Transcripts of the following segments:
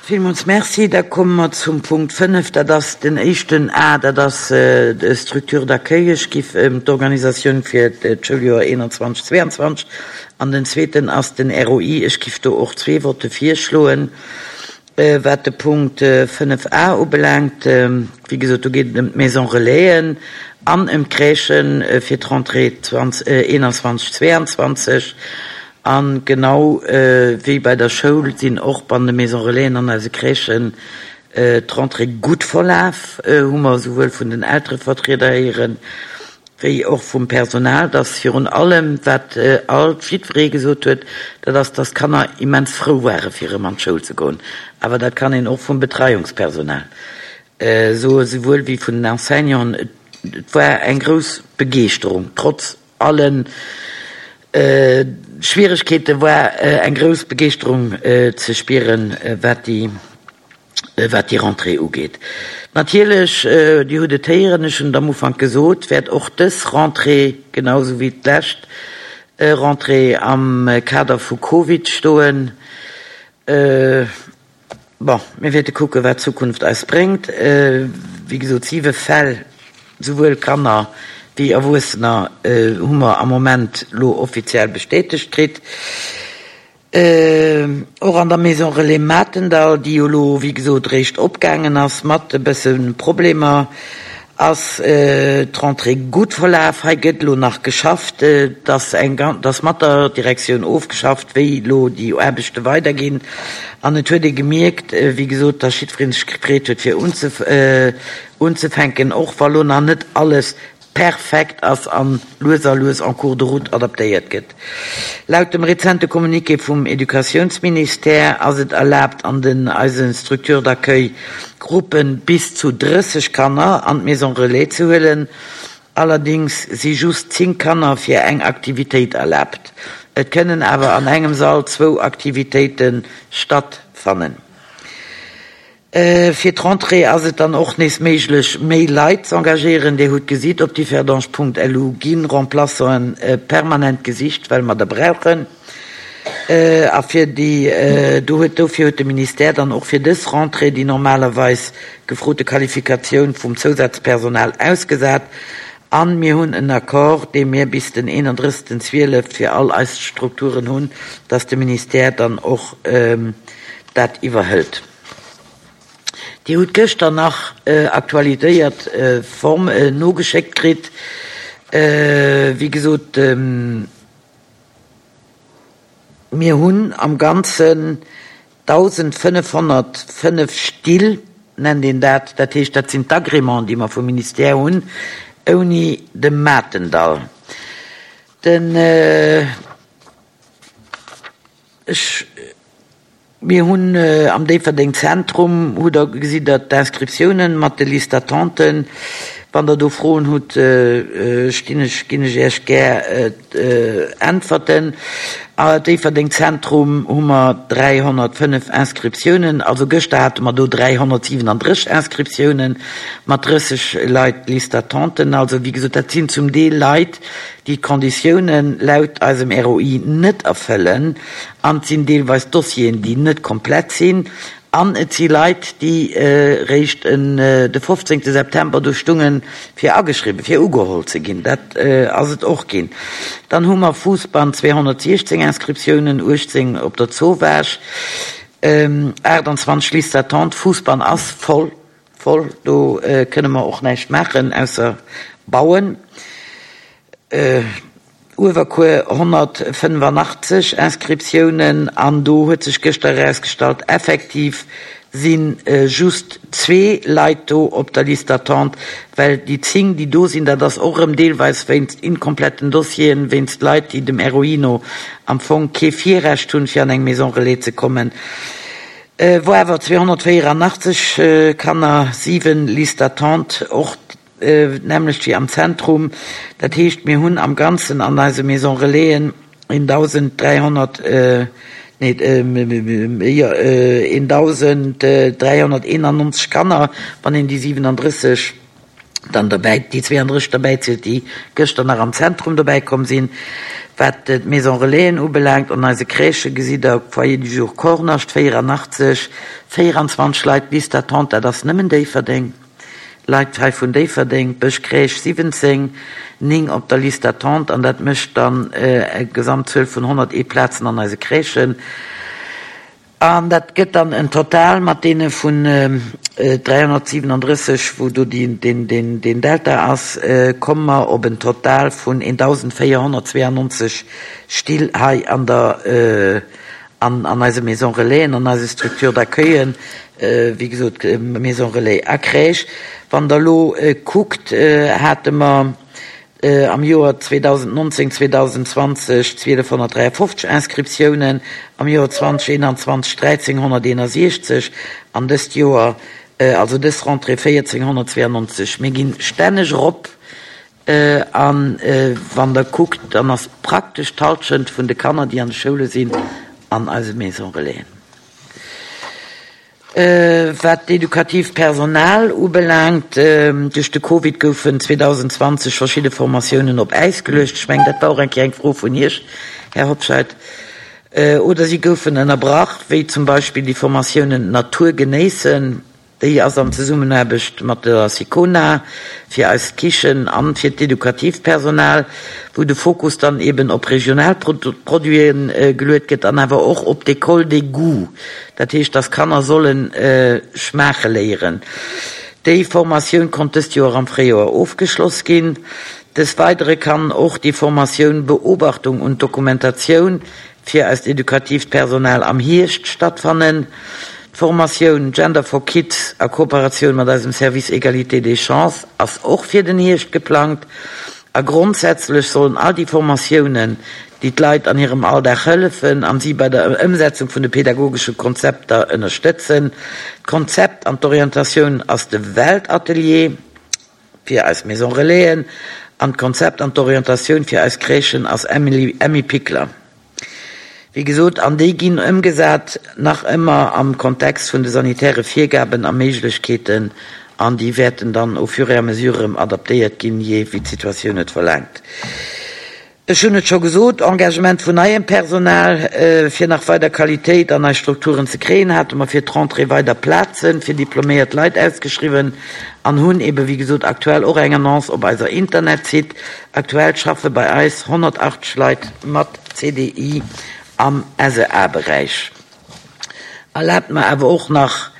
Villmools Merci. Da komme mer zum Punkt 5, dat ass den éischten A, dat ass d'Structure d'accueil. Ech giff ëm d'Organisatioun fir d'Schouljoer 21, 22 an den zweeten ass den ROI. Ech giff do och zwee Votte virschloen. Wat de Punkt 5 A ubelaangt, wéi gesot, do geet et ëm d'Maison Relaisen an ëm d'Crèchen fir d'Rentrée 21, 22. A genau wéi bei der Schoul sinn och ban de Maison Relaisen an eise Crèchen d'Rentrée gutt verlaf, hu mer esouwuel vun den Elterevertrieder héieren, wéi och vum Personal, dass virun allem, wat alt jiddweree gesot huet, dat ass, dass d'Kanner immens frou ware fir erëm an d'Schoul ze goen. Awer dat kann een och vum Betreiungspersonal soen, esouwuel wéi vun den Enseignanten. Et war eng grouss Begeeschterung, trotz Allen Schwieregkeete war eng grouss Begeeschterung ze spieren, wat déi, wat déi Rentrée ugeet. Natierlech, Dir hutt et héieren, ech hunn et am Ufank gesot, wäert och dës Rentrée, genau esou wéi d'lescht Rentrée, am Kader vu Covid stoen. Bon, mir wäerte kucken, wat d'Zukunft eis bréngt. Wéi gesot, siwe Fäll, souwuel Kanner wéi Erwuessener, hu mer am Moment elo offiziell bestätegt kritt. Och an der Maison Relais Matendall, déi jo elo, wéi gesot, eréischt opgaangen ass, mat e bësse Problemer, Ass d'Rentrée gutt verlaf? Hei gëtt elo nach geschafft. Et ass eng, et ass mat der Direktioun ofgeschafft, wéi elo déi Aarbechte weiderginn. An et huet ee gemierkt, wéi gesot, datt jiddweree sech gefreet huet, fir unzefänken, och wa lo nach net alles perfekt ass an lues a lues en cours de route adaptéiert gëtt. Laut dem rezente Communiqué vum Educatiounsministère ass et erlaabt an den eise Structures d'accueil Gruppe bis zu 30 Kanner an d'Maison Relais ze huelen. Allerdings si just 10 Kanner fir eng Aktivitéit erlaabt. Et kënnen awer an engem Sall zwou Aktivitéite stattfannen. Fir d'Rentrée ass et dann och nees méiglech, méi Leit z'engagéieren. Dir hutt gesitt, op differdange.lu gi Remplaçanten permanent gesicht, well mer der brauchen. A fir déi do huet, dofir huet de Ministère dann och fir dës Rentrée déi normalerweis gefrote Qualifikatioun vum Zousazpersonal ausgesat. A mir hunn en Accord, dee mir bis den 31. 12 fir all eis Strukturen hunn, dass de Ministère dann och dat iwwerhëlt. Dir hutt gëschter nach aktualiséiert Form nogeschéckt kritt. Wéi gesot, mir hunn am Ganzen 1.505 Still, nennt een dat, dat heescht, dat sinn d'Agrémenten, déi mer vum Ministère hunn, ouni de Matendall. Den, ech. Mir hunn am Déifferdeng Zentrum, hutt Der, gesitt Der d'Inscriptiounen mat de Listes d'attenten. Wann Der do Froen hutt, stinn ech, ginn ech Iech gär Äntwerten. A Déifferdeng Zentrum hu mer 305 Inscriptiounen, also gëschter hate mer do 337 Inscriptiounen mat 30 Leit Liste d'attenten. Also wéi gesot, dat sinn zum Deel Leit, déi d'Konditiounen laut eisem ROI net erfëllen. An et sinn deelweis Dossieren, déi net komplett sinn. An et si Leit, déi réischt de 15 September do stungen, fir ageschriwwen, fir ugeholl ze ginn. Dat ass et och ginn. Dann hu mer Fousbann 216 Inscriptiounen, 18 op der Zowaasch, 28 Liste d'attente. Fousbann ass voll, voll. Do kënne mer och näischt maachen, ausser bauen. Uewerkuer 185 Inscriptiounen an do huet sech gëschter erausgestallt, effektiv si just zwee Leit do op der Liste d'attente, well déi 10, déi do sinn, dat ass och erëm deelweis wéinst inkompletten Dossieren, wéinst Leit, déi dem ROI no am Fong kee Virrecht hunn, fir an eng Maison relais ze kommen, wou awer 284 Kanner, 7 Liste d'attente, och D'nämmlecht wéi am Zentrum. Dat heescht, mir hunn am Ganzen an eise Maison Relaisen 1.300, nee, jo, 1.391 Kanner, wann een déi 37. Dann derbäi déi 32 derbäizielt, déi gëschter nach am Zentrum dobäi komm sinn. Wat d'Maison Relaisen ubelaangt, an eise Crèchë gesitt Der, Foyer du jour Kornascht 84, 24 Leit, Liste d'attente, dat ass nëmmen Déifferdeng, Leit hei vun Déifferdeng, Bësch Crèche 17, 9 op der Liste d'attente, an dat mécht dann eng Gesamtzuel vun 101 Plazen an eise Crèchen. An dat gëtt dann en Total mat deene vun 337, wou do deen Delta ass, komme mer op en Total vun 1.492 Still hei an der, an eise Maison Relaisen, an eise Structures d'accueillen, wéi gesot Maison Relais a Crèche. Wann Der elo kuckt, hate mer Am Joer 2019, 2020 1.253 Inscriptiounen, am Joer 2021 1.361 an dëst Joer, also dës Rentrée 1.492. Mir ginn stänneg erop a wann Der kuckt, dann ass praktesch d'Hallschent vun de Kanner, déi an de Schoule sinn, an eise Maison Relaisen. Wat d'edukatiivt Personal ubelaangt, duerch de Covid goufen 2020 verschidde Formatiounen op Äis geluecht. Ech mengen, dat war och eng Kéier eng Fro vun Iech, Här Hobscheit. Oder si goufen ënnerbrach, wéi zum Beispill déi Formatiounen Natur genéissen. Déi ass an Zesummenaarbecht mat der SICONA fir eis Kichen an fir d'edukatiivt Personal, wou de Fokus dann eben op regional Produite geluet gëtt an awer och op d'École des goûts, dat heescht, dass Kanner solle schmaache léieren. Déi Formatioun konnt dëst Joer am Fréijoer ofgeschloss ginn. Des Weidere kann och déi Formatioun Beobachtung und Dokumentatioun fir eist edukatiivt Personal am Hierscht stattfannen. D'Formatioun Gender for Kids a Kooperatioun mat eisem Service Égalité des chances ass och fir den Hierscht geplangt. A grondsätzlech sollen all déi Formatiounen, déi d'Leit an hirem Alldag hëllefen an si bei der Ëmsetzung vun de pedagogesche Konzepter ënnerstëtzen. D'Konzept an d'Orientatioun ass de Weltatelier fir eis Maison Relaisen an d'Konzept an d'Orientatioun fir eis Crèchen ass Emmi Pikler. Wéi gesot, an déi ginn ëmgesat nach ëmmer am Kontext vun de sanitäre Virgaben a Méiglechkeeten an déi wäerten dann au fur et à mesure erëm adaptéiert ginn, jee wéi d'Situatioun et verlaangt. Ech hunn et scho gesot, Engagement vun neiem Personal, fir nach weider Qualitéit an eis Strukturen ze kréien, hate mer fir d'Rentrée weider Plaze fir diploméiert Leit ausgeschriwwen an hunn ebe wéi gesot aktuell och eng Annonce op eiser Internetsite. Aktuell schaffe bei eis 180 Leit mat CDI am SEA-Beräich. Erlaabt mer awer och nach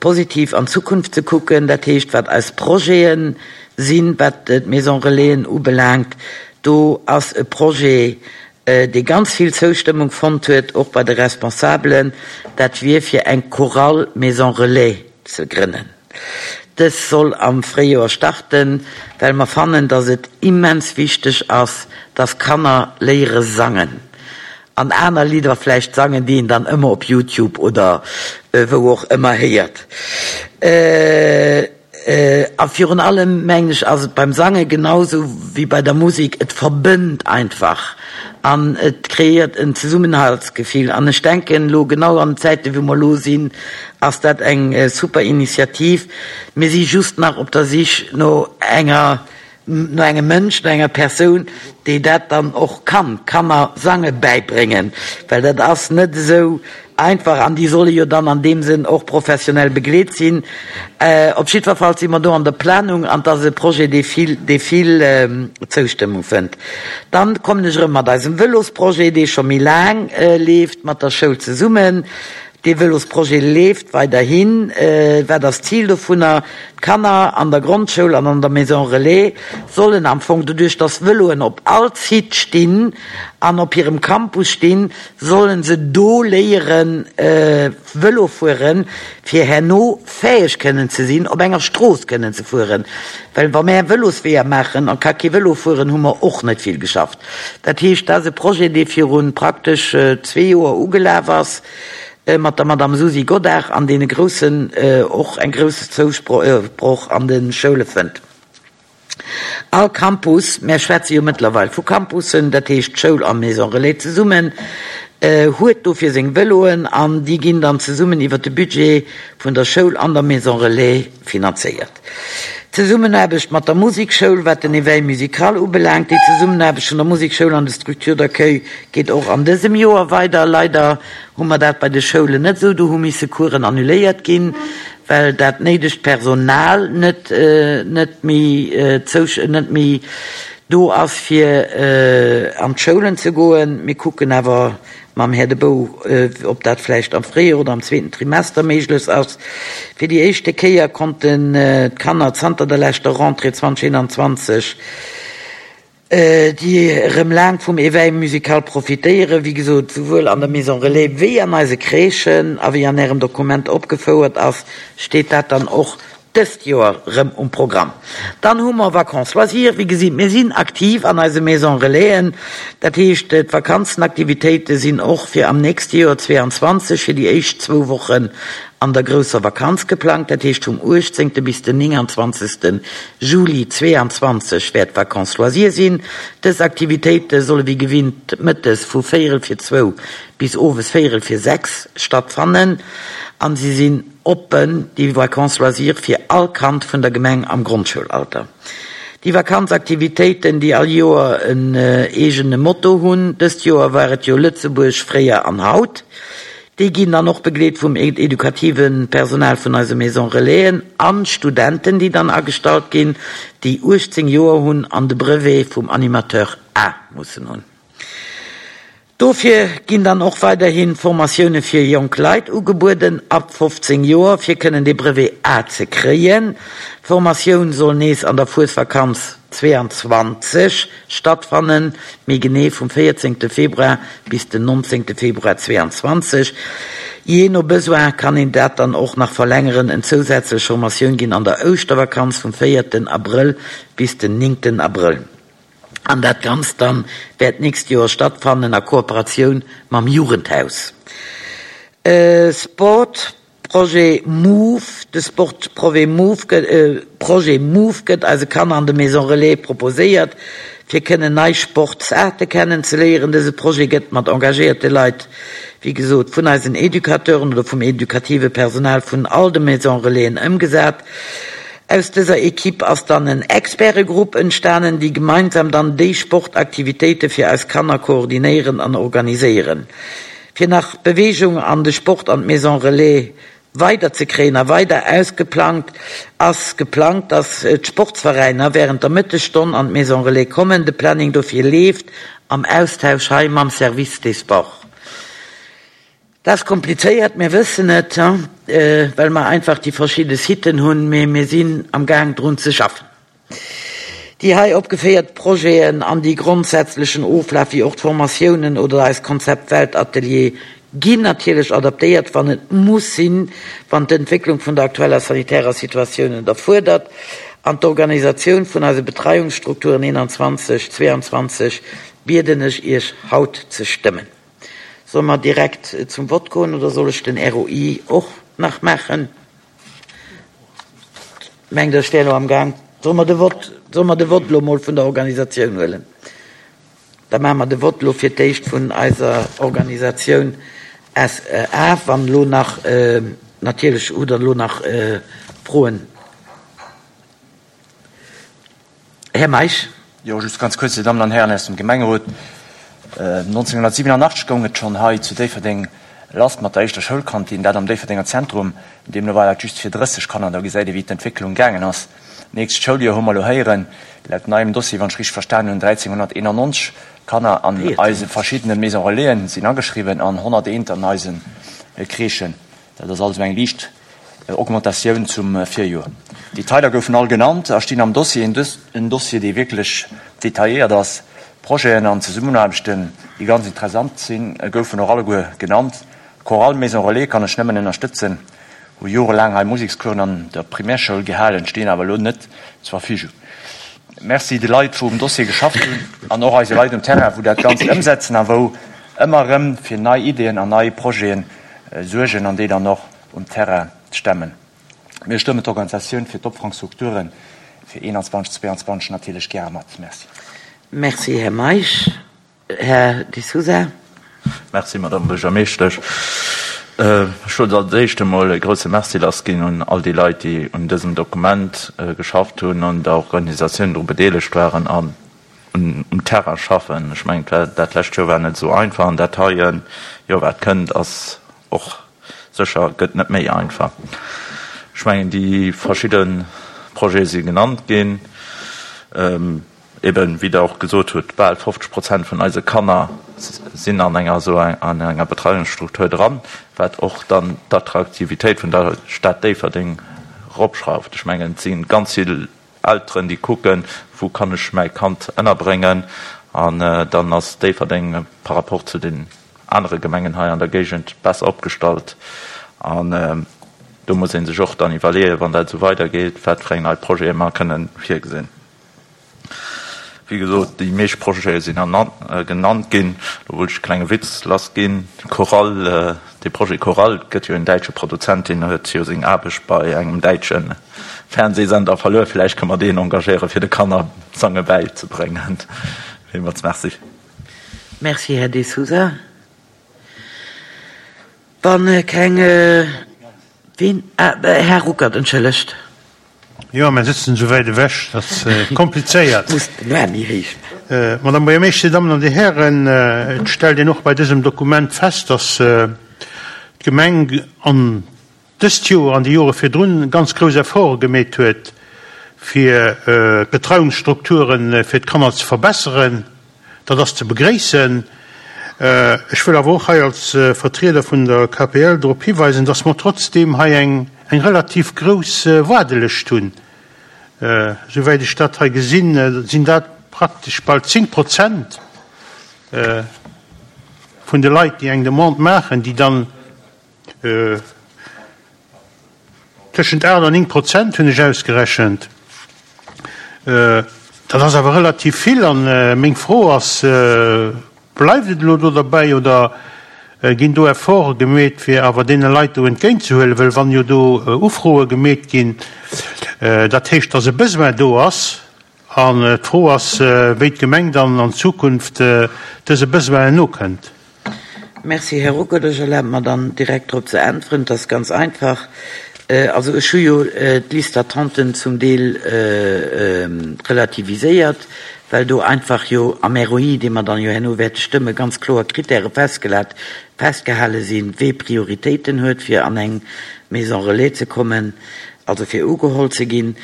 positiv an d'Zukunft ze kucken, dat heescht wat eis Projete sinn, wat d'Maison Relaisen ubelaangt. Do ass e Projet, dee ganz vill Zoustëmmung fonnt huet, och bei de Responsabelen, dat wier fir eng Chorale Maison Relais ze grënnen. Dës soll am Fréijoer starten, well mer fannen, dass et immens wichteg ass, dass Kanner léiere sangen an aner Lidder vläicht sangen, déi een dann ëmmer op Youtube oder wou och ëmmer héiert. A virun allem, mengen ech, ass et beim Sange genau sou wéi bei der Musek, et verbënnt einfach an et kreéiert en Zesummenhaltsgefill. An ech denken, elo genau an den Zäiten, wou mer elo sinn, ass dat eng super Initiativ. Mir si just nach op der Sich no enger no engem Mënsch, no enger Persoun, déi dat dann och kann, Kanner Sange bäibréngen, well dat ass net esou einfach an déi solle jo dann an deem Sënn och professionell begleet sinn. Op jiddwer Fall si mer do an der Planung an et ass e Projet, dee vill, dee vill Zoustëmmung fënnt. Dann kommen ech erëm mat eisem Vëlosprojet, dee scho méi laang leeft, mat der Schoul zesummen. Dee Vëlosprojet leeft weiderhin. Wat ass d'Zil dovunner? D'Kanner an der Grondschoul an an der Maison Relais sollen am Fong, doduerch dass Vëloen op all Site stinn an op hirem Campus stinn, sollen se do léiere Vëlo fueren, fir herno fäeg kënnen ze sinn, op enger Strooss kënnen ze fueren. Well wa mär Vëlosweeër maachen a ka kee Vëlo fueren, hu mer och net vill geschafft. Dat heescht, dat ass e Projet, dee viru praktesch zwee Joer ugelaf ass mat der Madame Susi Godart an deen e groussen, och eng grouss Zousproch an de Schoule fënnt. All Campus, mär schwätze jo mëttlerweil vu Campussen, dat heescht Schoul a Maison Relais zesummen, huet dofir seng Vëloen an déi ginn dann zesummen iwwert de Budget vun der Schoul an der Maison Relais finanzéiert. Zesummenaarbecht mat der Musekschoul, wat den Éveil musical ubelaangt. Déi Zesummenaarbecht vun der Musekschoul an de Structures d'accueil geet och an dësem Joer weider. Leider hu mer dat bei de Schoulen net esou. Do hu misse Coursen annuléiert ginn, well dat néidegt Personal net net méi net méi do ass fir an d'Schoulen ze goen. Mir kucken awer mam Här De Bouw, ob dat vläicht am Fréijoer oder am zweeten Trimester méiglech ass. Fir déi éischte Kéier konnten d'Kanner zanter der leschter Rentrée 2021, déi erëm laang vum Éveil musical profitéieren, wéi gesot, souwuel an der Maison Relais wéi an eise Crèchen. A wéi an Ärem Dokument opgefouert ass, steet dat dann och Dëst Joer rëm um Programm. Dann hu mer Vacances loisirs. Wéi gesitt, mir sinn aktiv an eise Maison Relaisen. Dat heescht, d'Vakanzenaktivitéite sinn och fir am nächste Joer 22 fir déi éischt zwou Wochen an der grousser Vakanz geplangt. Dat heescht, vum 18. bis den 29. Juli 22 wäert Vacances loisirs sinn. Dës Aktivitéite solle wéi gewinnt mëttes vu véierel fir zwou bis owes véierel fir 6 stattfannen an si sinn Oppen, déi Vacances loisirs fir all Kand vun der Gemeng am Grondschoulalter. Déi Vakanzaktivitéiten, déi all Joer en eegene Motto hunn, dëst Joer war et jo Lëtzebuerg fréier an haut, déi ginn dann och begleet vum edukative Personal vun eise Maison Relaisen an Studenten, déi dann agestallt ginn, déi 18 Joer hunn an de Brevet vum Animateur A mussen hunn. Dofir ginn dann och weiderhi Formatioune fir jonk Leit ugebueden, ab 15 Joer, fir kënnen dee Brevet A ze kréien. D'Formatioun soll nees an der Fuesvakanz 22 stattfannen, méi genee vum 14 Februar bis den 19 Februar 22. Jee no Besoin kann een dat dann och nach verlängeren. En zousätzlech Formatioun ginn an der Ouschtervakanz vum 4 Abrëll bis den 9 Abrëll. An dat Ganzt dann wäert d'nächst Joer stattfannen a Kooperatioun mam Jugendhaus. Sport Projet Move De Sport Projet Move Projet Move gëtt eise Kanner an de Maison Relais proposéiert, fir kënnen nei Sportsaarte kennen ze léieren. Dëse Projet gëtt mat engagéierte Leit, wéi gesot vun eisen Educateuren oder vum edukative Personal vun all de Maison Relaisen ëmgesat. Aus dëser Equipe ass dann en Expertegrupp entstanen, déi gemeinsam dann déi Sportaktivitéite fir eis Kanner koordinéieren an organiséieren. Fir nach Beweegung an de Sport an d'Maison Relais weider ze kréien a weider ausgeplangt ass geplangt, dass d'Sportsveräiner während der Mëttesstonn an d'Maison Relais kommen. De Planning dofir leeft am Austausch hei mam Service des Sports. Dat ass komplizéiert, mir wëssen et, well mer einfach déi verschidde Siten hunn, mee mir sinn am Gaang drun ze schaffen. Déi hei opgeféiert Projeten an déi grondsätzlechen Oflaf wéi och d'Formatiounen oder eist Konzept Weltatelier ginn natierlech adaptéiert, wann et muss sinn, wann d'Entwécklung vun der aktueller sanitärer Situatioun et erfuerdert an d'Organisatioun vun eise Betreiungsstrukturen 21, 22 bieden ech Iech haut ze stëmmen. Solle mer direkt zum Vott goen oder soll ech den ROI och nach maachen? Mengt Der, ech wär elo amgaang? Solle mer de Vott, solle mer de Vott elo emol vun der Organisatioun huelen? Da maache mer de Vott elo fir d'éischt vun eiser Organisatioun SA. Wann elo nach, natierlech hutt Der elo nach Froen. Här Meisch. Jo, just ganz kuerz, Dir Dammen an Hären aus dem Gemengerot. 1987 goung et schonn hei zu Déifferdeng lass mat der éischter Schoulkantin, dat am Déifferdenger Zentrum. Deemno war dat just fir 30 Kanner. Da gesäit ee wéi d'Entwécklung gaangen ass. D'nächst Schouljoer hu mer elo héieren, laut neiem Dossier, wann ech richteg verstanen hunn, 1.391 Kanner an eise verschiddene Maison Relaisen sinn ageschriwwen an 101 an eise Crèchen. Dat ass also eng liicht Augmentatioun zum Virjoer. D'Detailer goufen all genannt a stinn am Dossier, en Dossier, dee wierklech detailléiert ass. Projeten an Zesummenaarbechten, déi ganz interessant sinn, goufen och alleguer genannt. D'Chorale Maison Relais kann ech nëmmen ënnerstëtzen, hu jorelaang hei Musekscoursen an der Primärschoul gehalen, stinn awer elo net zur Verfügung. Merci de Leit, wou um Dossier geschafft hunn an och eise Leit um Terrain, wou dat Ganzt ëmsetzen a wou ëmmer erëm fir nei Ideeën an nei Projete suergen an déi dann och um Terrain stemmen. Mir stëmmen d'Organisatioun fir d'Opfangstrukture fir 21, 22 natierlech gäre mat. Merci. Merci, Här Meisch. Här De Sousa. Merci, Madame Buergermeeschtesch. Ech wollt als éischt emol e grousse Merci lassginn un all déi Leit, déi un dësem Dokument geschafft hunn, un der Organisatioun dru bedeelegt waren an um Terrain schaffen. Ech mengen, dat lescht Joer war net esou einfach an dat heie Joer, wat kënnt, ass och sécher, gëtt net méi einfach. Ech mengen, déi verschidde Projete si genannt ginn. Eben, wéi Der och gesot hutt, bal 50 Prozent vun eise Kanner sinn an enger esou an enger Betreiungsstruktur dran, wat och dann d'Attraktivitéit vun der Stad Déifferdeng eropschrauft. Ech mengen, et si ganz vill Elteren, déi kucken, wou kann ech mäi Kand ënnerbréngen, an dann ass Déifferdeng par rapport zu den anere Gemengen hei an der Géigend besser opgestallt. An do muss ee sech och dann iwwerleeën, wann dat esou weidergeet, wat fir eng nei Projete mer kënnen virgesinn. Wéi gesot, déi meescht Projete sinn genannt ginn. Do wollt ech e klenge Witz lassginn. Chorale, dee Projet Chorale, et gëtt jo en däitsche Produzent, deen huet jo seng Aarbecht bei engem däitsche Fernsehsender verluer. Vläicht kënne mer deen engagéieren, fir de Kanner Sange bäizebréngen. Villmools Merci. Merci, Här De Sousa. Wa keng, ween? Ah, Här Ruckert, entschëllegt. Jo, mer sëtzen esou wäit ewech, dat ass komplizéiert. Madame Buergermeeschter, Dir Dammen an Dir Hären, et stellt een och bei dësem Dokument fest, dass d'Gemeng an dëst Joer an déi Jore virdrun ganz grouss Efforte gemeet huet, fir d'Betreiungsstrukture fir d'Kanner ze verbesseren. Dat ass ze begréissen. Ech wëll awer och hei als Vertrieder vun der KPL drop hiweisen, dass mer trotzdeem hei eng relativ grouss Waardelëscht hunn. Esouwäit ech dat hei gesinn, sinn dat praktesch bal 10 Prozent vun de Leit, déi eng Demande maachen, déi dann, Tëschent 8 an 9 Prozent hunn ech ausgerechent. Dat ass awer relativ vill. A meng Fro ass, Bleift et elo do derbäi oder ginn do Efforte gemeet, fir awer deene Leit do entgéintzehuelen? Well wann jo do Ufroe gemeet ginn, dat heescht, datt e Besoin do ass. An d'Fro ass, wéi d'Gemeng dann an Zukunft dëse Besoinen nokënnt. Merci, Här Ruckert. Ech erlabe mer dann direkt drop ze äntweren. Et ass ganz einfach. Also ech hu jo d'Liste d'attenten zum Deel relativiséiert, well do einfach jo am ROI, dee mer dann jo herno wäerte stëmmen, ganz kloer Kritäre festgelat, festgehale sinn, wee Prioritéiten huet, fir an eng Maison relais ze kommen, also fir ugeholl ze ginn.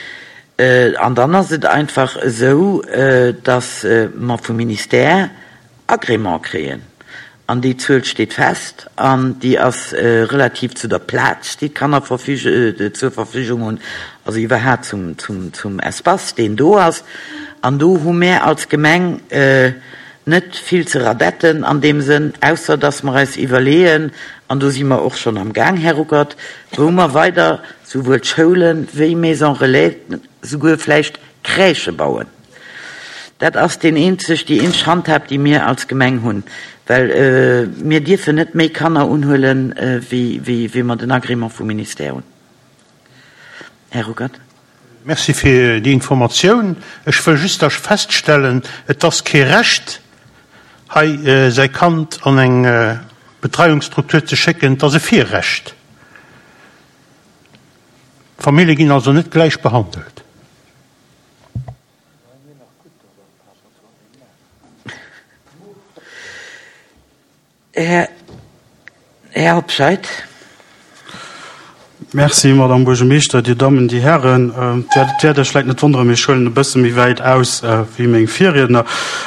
An dann ass et einfach esou, dass mer vum Ministère Agrément kréien. An déi Zuel steet fest an déi ass relativ zu der Plaz, déi d'Kanner zur Verfügung hunn, also iwwerhaapt zum Espace, deen do ass. An do hu mär als Gemeng net vill ze radetten an deem Sënn, ausser dass mer eis iwwerleeën, an do si mer och schonn am Gaang, Här Ruckert, wou mer weider souwuel d'Schoulen wéi Maisons Relais, souguer vläicht Crèchë bauen. Dat ass deen eenzeg, déi eenzeg Handhab, déi mir als Gemeng hunn, well mir dierfen net méi Kanner unhuelen, wéi, wéi mer den Agrément vum Ministère hunn. Här Ruckert. Merci fir déi Informatioun. Ech wëll just da feststellen, et ass kee Recht, hei säi Kand an eng Betreiungsstruktur ze schécken, et ass e Virrecht. D'Famillje ginn also net gläich behandelt. Här Hobscheit. Merci, Madame Buergermeeschter, Dir Dammen, Dir Hären. Et wäert Iech vläicht net wonneren, mee ech huelen e bësse méi wäit aus wéi meng Virriedner,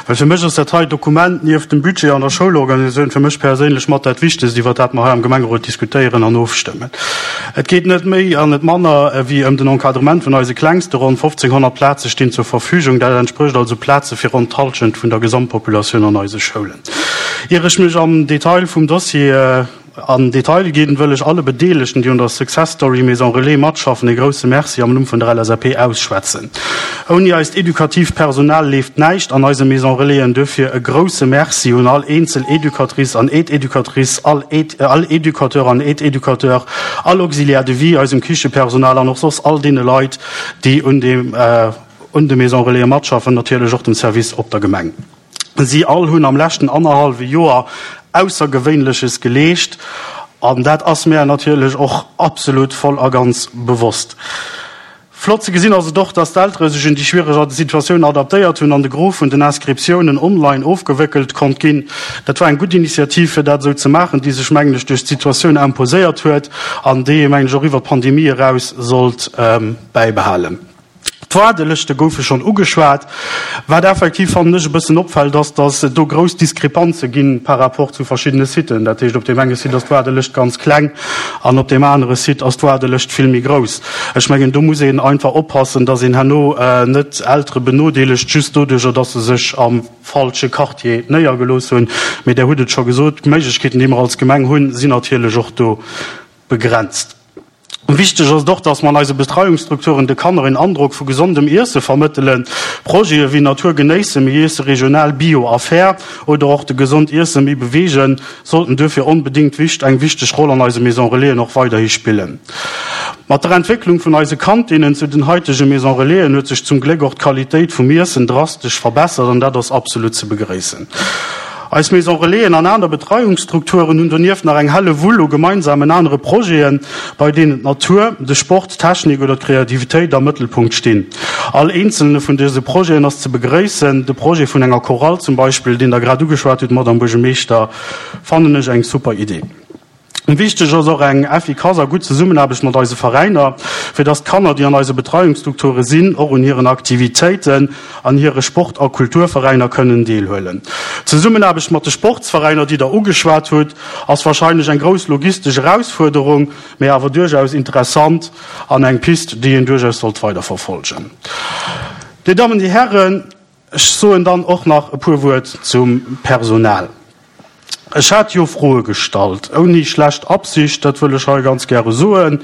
well fir mech ass dat hei Dokument nieft dem Budget an der Schoulorganisatioun fir mech perséinlech mat dat Wichtegst, iwwert dat mer hei am Gemengerot diskutéieren an ofstëmmen. Et geet net méi an net manner ewéi ëm den Encadrement vun eise Klengste. Ronn 1.500 Plaze stinn zur Verfügung. Dat entsprécht also Plaze fir ronn d'Hallschent vun der Gesamtpopulatioun an eise Schoulen. Ier ech mech am Detail vum Dossier an Detail ginn, wëll ech alle Bedeelegten, déi un der Success Story Maison Relais matschaffen, e grousse Merci am Numm vun der LSAP ausschwätzen. Ouni eist edukatiivt Personal leeft näischt an eise Maison Relaisen. Duerfir e grousse Merci un all eenzel Educatrice an Aide-Educatrice, all all Educateur an Aide-Educateur, all Auxiliaire de vie, eisem Kichepersonal an och soss all deene Leit, déi un dem un de Maison Relaisen matschaffen, natierlech och dem Service op der Gemeng. Si all hunn am leschten annerhallwe Joer Aussergewéinleches geleescht. An dat ass mär natierlech och absolut voll a ganz bewosst. Flott ze gesinn ass et och, dass d'Eltere sech un déi schwiereg Situatioun adaptéiert hunn an de Gros vun den Inscriptiounen online ofgewéckelt konnt ginn. Dat war eng gutt Initiativ, fir dat esou ze maachen, déi sech, mengen ech, duerch d'Situatioun imposéiert huet an déi ee, mengen ech, och iwwer d'Pandemie eraus sollt bäibehalen. D'Waardelëschte goufe schonn ugeschwat. Wat effektiv, fannen ech, e bëssen opfält, ass, datt et do grouss Diskrepanze gi par rapport zu verschiddene Siten. Dat heescht, op deem enge Site ass d'Waardelëscht ganz kleng an op deem anere Site ass d'Waardelëscht vill méi grouss. Ech mengen, do muss een einfach oppassen, datt een herno net Eltere benodeelegt, just doduerjer, datt se sech am falsche Quartier néiergelooss hunn. Mee Der hutt et scho gesot, d'Méiglechkeeten, déi mer als Gemeng hunn, sinn natierlech och do begrenzt. Wichteg ass et och, dass mer an eise Betreiungsstrukturen de Kanner een Androck vu gesondem Iesse vermëttelen. Projete wéi Natur genéissen, mir iesse regional, bio a fair oder och de Gesond iessen, méi beweegen sollten duerfir onbedéngt wicht eng wichteg Roll an eise Maison Relaisen och weiderhi spillen. Mat der Entwécklung vun eise Kantinnen zu den haitege Maison Relaisen huet sech zum Gléck och d'Qualitéit vum Iessen drastesch verbessert an dat ass absolut ze begréissen. Eis Maison Relaisen an aner Betreiungsstrukturen hunn donieft nach eng helle Wull u gemeinsamen anere Projeten, bei deenen d'Natur, de Sport, d'Technik oder d'Kreativitéit am Mëttelpunkt stinn. All eenzelne vun dëse Projeten ass ze begréissen. De Projet vun enger Chorale zum Beispill, deen Der grad ugeschwat hutt, Madamm Buergermeeschter, fannen ech eng super Idee. Wichteg ass och eng effikass a gutt Zesummenaarbecht mat eise Veräiner, fir dass d'Kanner, déi an eise Betreiungsstrukture sinn, och un hiren Aktivitéiten an hire Sport a Kulturveräiner kënnen deelhuelen. D'Zesummenaarbecht mat de Sportsveräiner, déi Der ugeschwat hutt, ass wahrscheinlech eng grouss logistesch Erausfuerderung, mee awer duerchaus interessant an eng Pist, déi een duerchaus sollt weiderverfolgen. Dir Dammen, Dir Hären, Ech soen dann och nach e puer Wuert zum Personal. Ech hat jo Froe gestallt, ouni schlecht Absicht, dat wëll ech hei ganz gäre soen,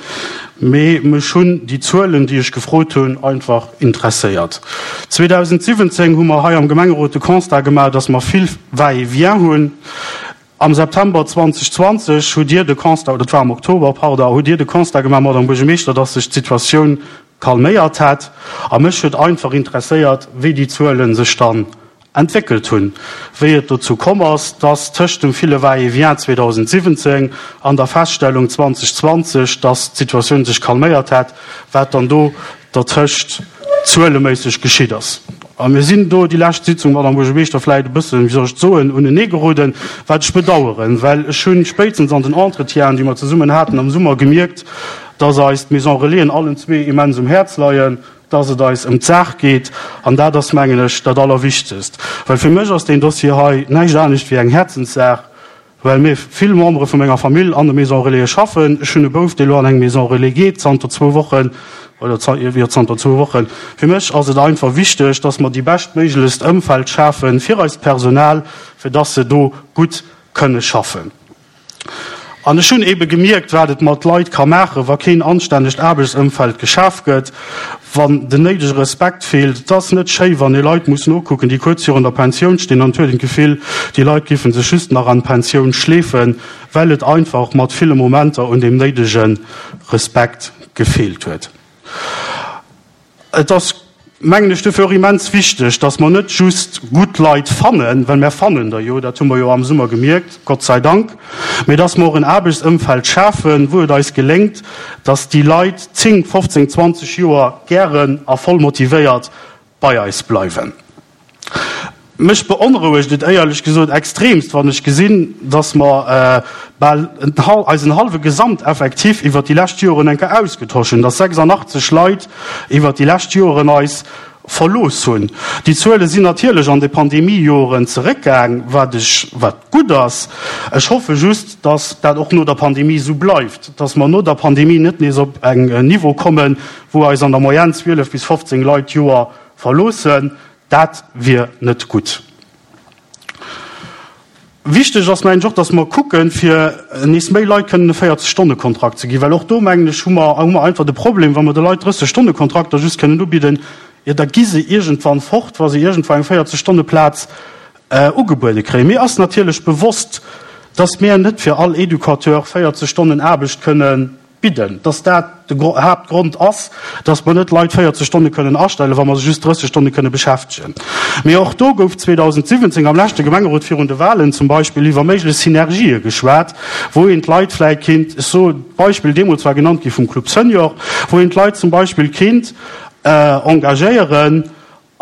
mee mech hunn déi Zuelen, déi ech gefrot hunn, einfach interesséiert. 2017 hu mer hei am Gemengerot de Constat gemaach, dass mer vill Va-et-vient hunn. Am September 2020 hutt Dir de Constat, oder et war am Oktober, pardon, hutt Dir de Constat gemaach, Madame Buergermeeschter, dass sech d'Situatioun calméiert hätt. A mech huet einfach interesséiert, wéi déi Zuele sech dann entwéckelt hunn, wéi et dozou komm ass, dass tëscht dem ville Va-et-vient 2017 an der Feststellung 2020, dass d'Situatioun sech calméiert hätt, wat dann do dertëscht zueleméisseg geschitt ass. A mir sinn do déi lescht Sitzung, Madame Buergermeeschter, vläicht e bëssen, wéi soll ech et soen, uneneegeroden, wat ech bedauern, well ech hunn spéitstens an den Entretienen, déi mer zesummen haten am Summer, gemierkt, dass eis d'Maison Relaisen allen zwee immens um Häerz leien, dass et eis ëm d'Saach geet. An dat ass, mengen ech, dat Allerwichtegst, well fir mech ass deen Dossier hei näischt anescht wéi eng Häerzenssaach. Well mir vill Membere vu menger Famill an de Maisons Relais schaffen. Ech hunn e Bouf, dee lo an eng Maison Relais geet, zanter zwou Wochen, oder jo, zanter zwou Wochen. Fir mech ass et einfach wichteg, dass mer déi beschtméiglechst Ëmfeld schafe fir eist Personal, fir dass se do gutt kënne schaffen. An ech hunn eebe gemierkt, wat et mat Leit ka maachen, wa keen anstännegt Aarbechtsëmfeld geschaf gëtt, wann den néidege Respekt feelt. Et ass net schéi, wann ee Leit muss nokucken, déi kuerz virun der Pensioun stinn, an et huet een d'Gefill, déi Leit géife sech just nach an d'Pensioun schleefen, well et einfach mat ville Momenter un deem néidege Respekt gefeelt huet. Et ass, mengen ech, dofir och immens wichteg, dass mer net just gutt Leit fannen, well mär fannen der jo, dat hu mer jo am Summer gemierkt, Gott sei Dank, mee dass mer och en Aarbechtsëmfeld schafen, wou et eis geléngt, dass déi Leit 10, 15, 20 Joer gären a voll motivéiert bei eis bleiwen. Mech beonrouegt et éierlech gesot extremst, wann ech gesinn, dass mer bal eisen hallwe Gesamteffektif iwwert déi lescht Joren eng Kéier ausgetosch hunn, dass 86 Leit iwwert déi lescht Joren eis verlooss hunn. Déi Zuele sinn natierlech an de Pandemiejoren zeréckgaang, wat ech, wat gutt ass. Ech hoffe just, dass dat och no der Pandemie esou bleift, dass mer no der Pandemie net nees op en Niveau kommen, wou eis an der Moyenne 12 bis 15 Leit d'Joer verloossen. Dat wier net gutt. Wichteg ass, mengen ech, och, datt mer kucken, fir nees méi Leit kënnen e 40-Stonne-Kontrakt ze ginn, well och do, mengen ech, hu mer, hu mer einfach de Problem, wa mer de Leit 30-Stonne-Kontrakter just kënnen ubidden, jo da gi se iergendwann fort, wa se iergendwou eng 40-Stonne-Plaz ugebuede kréien. Mir ass natierlech bewosst, datt mir net fir all Educateur 40 Stonnen Aarbecht kënnen. bidden, dass dat de Haaptgrond ass, dass mer net Leit 40 Stonne kënnen astellen, wa mer se just 30 Stonne kënne beschäftegen. Mee och do gouf 2017 am leschte Gemengerot virun de Wahlen zum Beispill iwwer méiglech Synergië geschwat, wou een d'Leit vläit kéint, ech soen, d'Beispill deemools war genannt gi vum Club Senior, wou een d'Leit zum Beispill kéint engagéieren,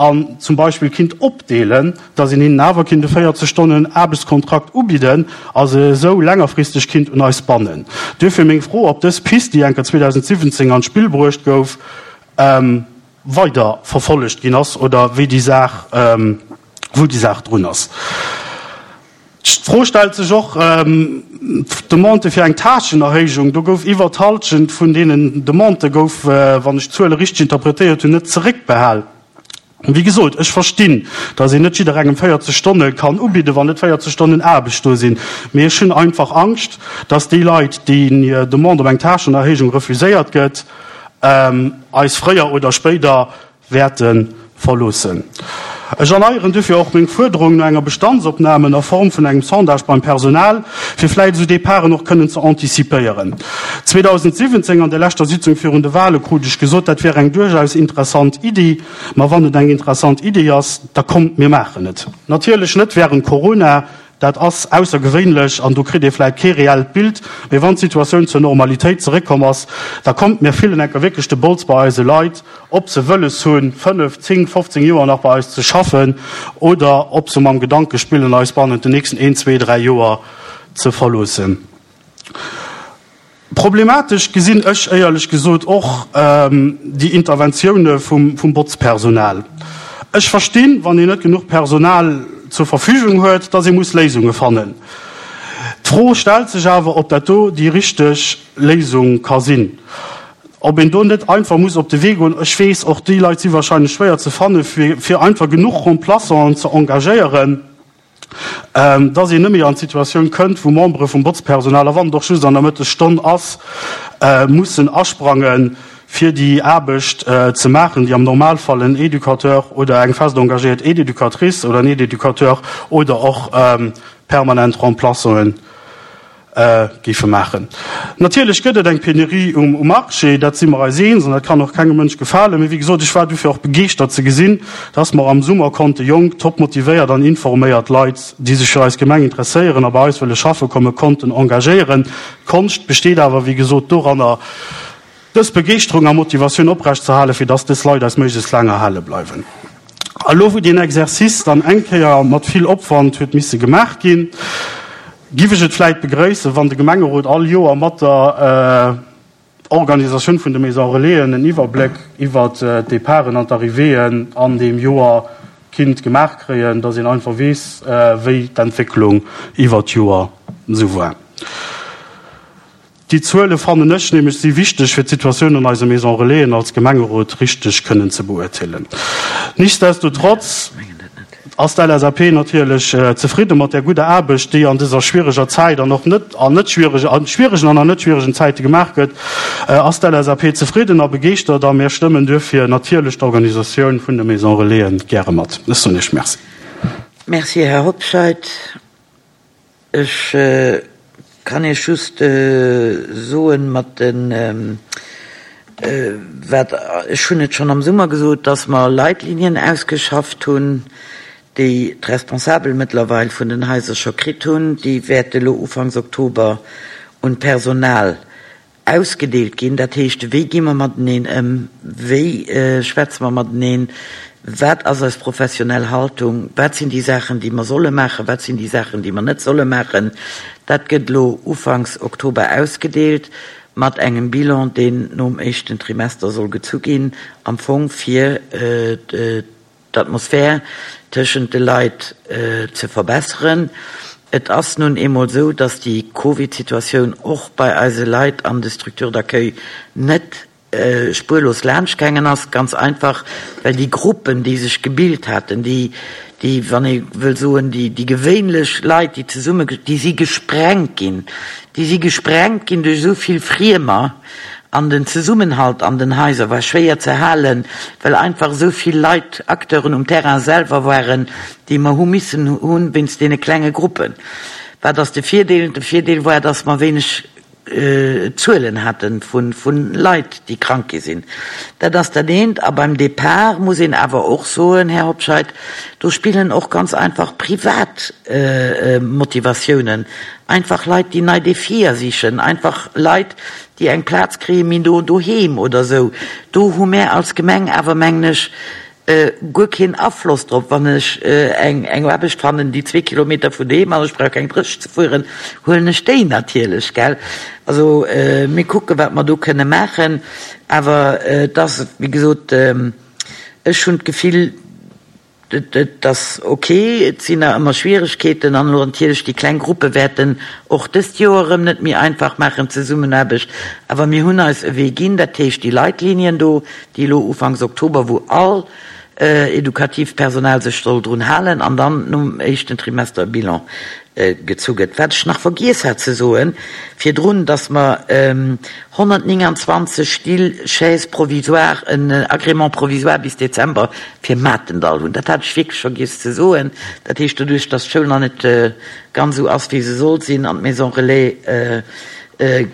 an zum Beispill kinnt opdeelen, dass een hinnen awer kinnt e 40 Stonnen Aarbechtskontrakt ubidden a se esou längerfristeg kinnt un eis bannen. Duerfir meng Fro, ob dës Pist, déi enker 2017 an d'Spill bruecht gouf, weider verfollegt ginn ass oder wéi déi Saach, wou déi Saach drun ass. D'Fro stellt sech och, d'Demande fir eng Tâchenerhéijung, do gouf iwwer d'Halschent vun deenen Demandë gouf, wann ech d'Zuele richteg interpretéiert hunn, net zeréckbehal. Wéi gesot, ech verstinn, datt een net jidderengem 40 Stonne kann ubidden, wann net 40 Stonnen Aarbecht do sinn. Mee ech hunn einfach Angscht, datt déi Leit, deenen hir Demande op eng Tâchenerhéijung refuséiert gëtt, eis fréier oder spéider wäerte verloossen. Ech erneieren dofir och meng Fuerderung no enger Bestandsopnahme a Form vun engem Sondage beim Personal, fir vläit esou Departen och kënnen ze antizipéieren. 2017 an der leschter Sitzung virun de Wahle krut ech gesot, dat wär eng duerchaus interessant Iddi. Ma wann et eng interessant Iddi ass, da kommt, mir maachen et. Natierlech net während Corona, Dat ass aussergewéinlech an do kritt ee vläit kee reellt Bild. Mee wann d'Situatioun zur Normalitéit zeréckkomm ass, da kommt, mir fillen enker wierklech de Bols bei eise Leit, ob se wëlles hunn, 5, 10, 15 Joer nach bei eis ze schaffen oder ob se mam Gedanke spillen, eis bannent den nächsten een, zwee, dräi Joer ze verloossen. Problematesch gesinn ech éierlech gesot och déi Interventioune vum Botzpersonal. Ech verstinn, wann een net genuch Personal zur Verfügung huet, datt ee muss Léisunge fannen. D'Fro stellt sech awer, ob dat do déi richteg Léisung ka sinn. Ob een do net einfach muss op de Wee goen, ech weess, och déi Leit si wahrscheinlech schwéier ze fannen, fir einfach genuch Remplaçanten ze engagéieren. dass een net méi an d'Situatioun kënnt, wou Membere vum Botzpersonal, a wann et och just an der Mëttesstonn ass, mussen asprangen, fir déi Aarbecht ze maachen, déi am Normalfall en Educateur oder eng fest engagéiert Aide-éducatrice oder en Aide-éducateur oder och permanent Remplaçanten géife maachen. Natierlech gëtt et eng Penurie um Marché, dat si mer eis eens an dat kann och kengem Mënsch gefalen. Mee wéi gesot, ech war dofir och begeeschtert ze gesinn, dass mer am Summer konnte jonk, top motivéiert an informéiert Leit, déi sech fir eis Gemeng interesséieren a bei eis wëlle schaffe kommen, konnten engagéieren. D'Konscht besteet awer, wéi gesot, doranner, dës Begeeschterung a Motivatioun oprecht ze halen, fir dass dës Leit eis méiglechst laang erhale bleiwen. A lo, wou deen Exercice dann eng Kéier mat vill Opwand huet misse gemaach ginn, giff ech et vläit begréissen, wann de Gemengerot all Joer mat der Organisatioun vun de Maison Relaisen en Iwwerbléck iwwert d'Departen an d'Arrivéeën an deem Joer kinnt gemaach kréien, dass een einfach weess, wéi d'Entwécklung iwwert d'Joer esou war. Déi Zuele fannen ech nämlech si wichteg, fir d'Situatioun an eise Maison Relaisen als Gemengerot richteg kënnen ze beurteelen. Nichtsdestotrotz ass d'LSAP natierlech zefridde mat där gudder Aarbecht, déi an dëser schwiereger Zäit an och net an net schwieregen, an schwieregen an an net schwieregen Zäite gemaach gëtt, ass d'LSAP zefridden a begeeschtert a mir stëmmen duerfir natierlech d'Organisatioun vun de Maison Relaisen gäre mat. Ech soen Iech Merci. Merci, Här Hobscheit. Ech kann Iech just soen, mat de wat, ech hunn et schonn am Summer gesot, dass mer Leitlinien ausgeschafft hunn, déi d'Responsabel mëttlerweil vun den Haiser scho kritt hunn. Déi wäerte lo ufanks Oktober un d'Personal Ausgedeelt ginn. Dat heescht, wéi gi mer mateneen ëm, wéi schwätze mer mateneen, wat ass eis professionell Haltung, wat sinn déi Saachen, déi mer solle maachen, wat sinn déi Saachen, déi mer net solle maachen. Dat gëtt elo ufanks Oktober ausgedeelt mat engem Bilan, deen nom éischten Trimester soll gezu ginn, am Fong fir d'Atmosphär tëschent de Leit ze verbesseren. Et ass nun eemol esou, dass déi Covid-Situatioun och bei eise Leit an de Structures d'accueil net spuerlos laanschtgaangen ass, ganz einfach, well déi Gruppen, déi sech gebilt haten, déi, déi, wann ee wëll soen, déi, déi gewéinlech Leit, déi zesumme, déi si gesprengt ginn. Déi si gesprengt ginn duerch esou vill Friemer. An den Zesummenhalt an den Haiser war schwéier ze halen, well einfach esou vill Leit, Acteuren um Terrain selwer waren, déi mer hu missen hunn wéinst deene klenge Gruppen. Wat ass de Virdeel? De Virdeel war, dass mer wéineg. Zuelen hate vu Leit, déi krank gi sinn. Dat ass dat eent. A beim Depart muss een awer och soen, Här Hobscheit, do spillen och ganz einfach privat Motivatiounen, einfach Leit, déi nei Defier sichen, einfach Leit, déi eng Plaz kréie méi no doheem oder esou. Do hu mär als Gemeng awer, mengen ech, guer keen Afloss drop. Wann ech eng Aarbecht fannen, déi zwee Kilometer vun doheem ass, ech brauch keng Dréch ze fueren, huelen ech déi natierlech, gell. Also mir kucken, wat mer do kënne maachen, awer et ass, wéi gesot, ech hunn d'Gefill, Et ass ok, et sinn nach ëmmer Schwieregkeeten an elo natierlech déi kleng Gruppe wäerten och dëst Joer erëm net méi einfach maachen, d'Zesummenaarbecht. Awer mir hunn eis e Wee ginn, dat heescht déi Leitlinien do, déi elo ufanks Oktober, wou all edukatiivt Personal sech soll drun halen an dann nom éischten Trimester e Bilan gezu gëtt. Wat ech nach vergiess hat ze soen virdrun, dass mer 129 Still, Chaises provisoires, en Agrément provisoire bis Dezember fir Matendall hunn. Dat hat ech wierklech vergiess ze soen. Dat heescht, doduerch dass d'Schoul nach net ganz esou ass, wéi se sollt sinn, an d'Maison relais,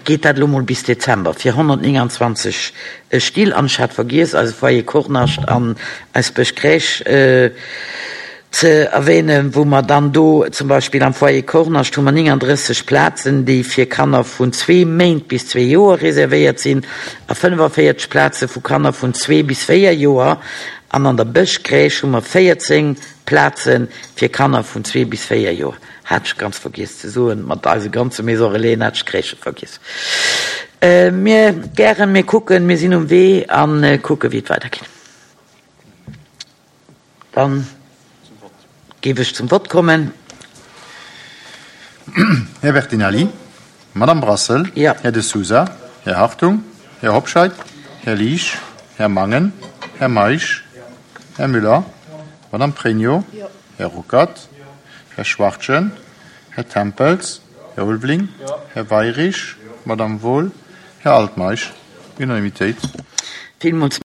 geet dat elo mol bis Dezember fir 129 Still. An ech hat vergiess, eise Foyer Kornascht an eis Bëschcrèche ze erwähnen, wou mer dann do zum Beispill am Foyer Kornascht hu mer 39 Plazen, déi fir Kanner vun zwee Méint bis zwee Joer reservéiert sinn a 45 Plaze vu Kanner vun zwee bis véier Joer. An an der Bëschcrèche hu mer 14 Plaze fir Kanner vun zwee bis véier Joer. Hat ech ganz vergiess ze soen, mat eise ganze Maison Relaisen hat ech d'Crèchë vergiess. Mir gären, mir kucken, mir sinn um Wee a kucke wéi et weidergeet. Dann géif ech zum Vott kommen. Här Bertinelli, Madame Brassel, Här De Sousa, Här Hartung, Här Hobscheit, Här Liesch, Här Mangen, Här Meisch, Här Müller, Madame Pregno, Här Ruckert, Här Schwachtgen, Här Tempels, Här Ulveling, Här Weirich, Madame Wohl, Här Altmeisch. Unanimitéit. Villmools.